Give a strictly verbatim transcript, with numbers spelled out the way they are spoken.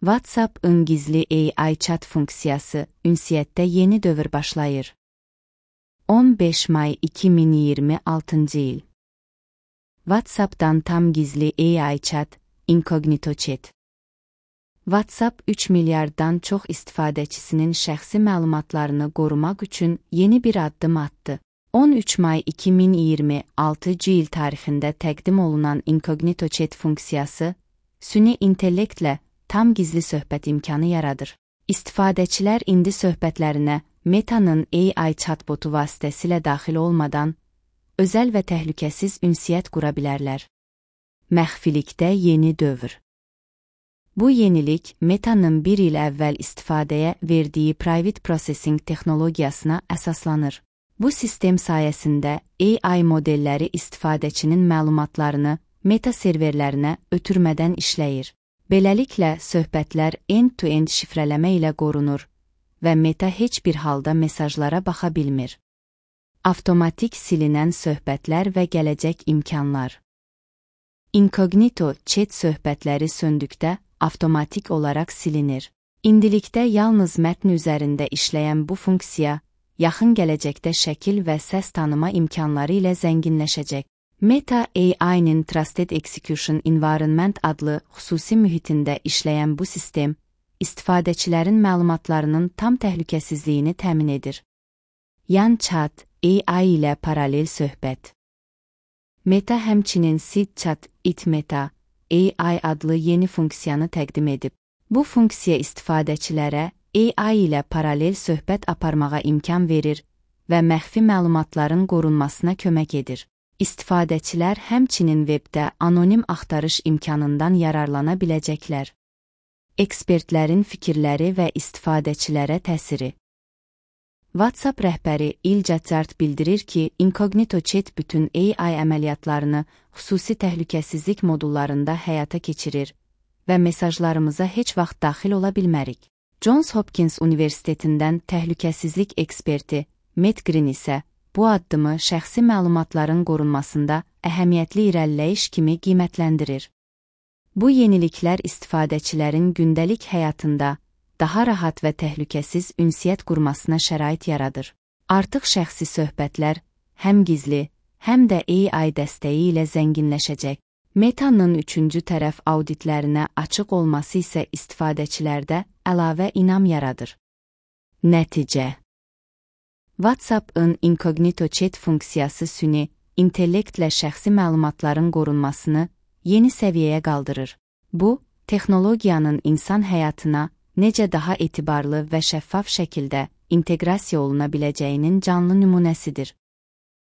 WhatsApp-ın gizli A I chat funksiyası ünsiyyətdə yeni dövr başlayır. on beş may iki min iyirmi altıncı il. WhatsApp-dan tam gizli A I chat, incognito chat. WhatsApp üç milyarddan çox istifadəçisinin şəxsi məlumatlarını qorumaq üçün yeni bir addım atdı. on üç may iki min iyirmi altıncı il tarixində təqdim olunan incognito chat funksiyası, süni intellektlə tam gizli söhbət imkanı yaradır. İstifadəçilər indi söhbətlərinə Meta'nın A I chatbotu vasitəsilə daxil olmadan, özəl və təhlükəsiz ünsiyyət qura bilərlər. Məxfilikdə yeni dövr. Bu yenilik Meta'nın bir il əvvəl istifadəyə verdiyi private processing texnologiyasına əsaslanır. Bu sistem sayəsində A I modelləri istifadəçinin məlumatlarını Meta serverlərinə ötürmədən işləyir. Beləliklə, söhbətlər end-to-end şifrələmə ilə qorunur və Meta heç bir halda mesajlara baxa bilmir. Avtomatik silinən söhbətlər və gələcək imkanlar. Incognito chat söhbətləri söndükdə avtomatik olaraq silinir. İndilikdə yalnız mətn üzərində işləyən bu funksiya, yaxın gələcəkdə şəkil və səs tanıma imkanları ilə zənginləşəcək. Meta A I-nin Trusted Execution Environment adlı xüsusi mühitində işləyən bu sistem, istifadəçilərin məlumatlarının tam təhlükəsizliyini təmin edir. Yan chat, A I ilə paralel söhbət. Meta həmçinin Seed Chat It Meta A I adlı yeni funksiyanı təqdim edib. Bu funksiya istifadəçilərə A I ilə paralel söhbət aparmağa imkan verir və məxfi məlumatların qorunmasına kömək edir. İstifadəçilər həmçinin webdə anonim axtarış imkanından yararlana biləcəklər. Ekspertlərin fikirləri və istifadəçilərə təsiri. WhatsApp rəhbəri İlca Cart bildirir ki, incognito chat bütün A I əməliyyatlarını xüsusi təhlükəsizlik modullarında həyata keçirir və mesajlarımıza heç vaxt daxil ola bilmərik. Johns Hopkins Universitetindən təhlükəsizlik eksperti Matt Green isə bu addımı şəxsi məlumatların qorunmasında əhəmiyyətli irəliləyiş kimi qiymətləndirir. Bu yeniliklər istifadəçilərin gündəlik həyatında daha rahat və təhlükəsiz ünsiyyət qurmasına şərait yaradır. Artıq şəxsi söhbətlər həm gizli, həm də A I dəstəyi ilə zənginləşəcək. Meta'nın üçüncü tərəf auditlərinə açıq olması isə istifadəçilərdə əlavə inam yaradır. Nəticə. WhatsApp-ın incognito chat funksiyası süni intellektlə şəxsi məlumatların qorunmasını yeni səviyyəyə qaldırır. Bu, texnologiyanın insan həyatına necə daha etibarlı və şəffaf şəkildə inteqrasiya oluna biləcəyinin canlı nümunəsidir.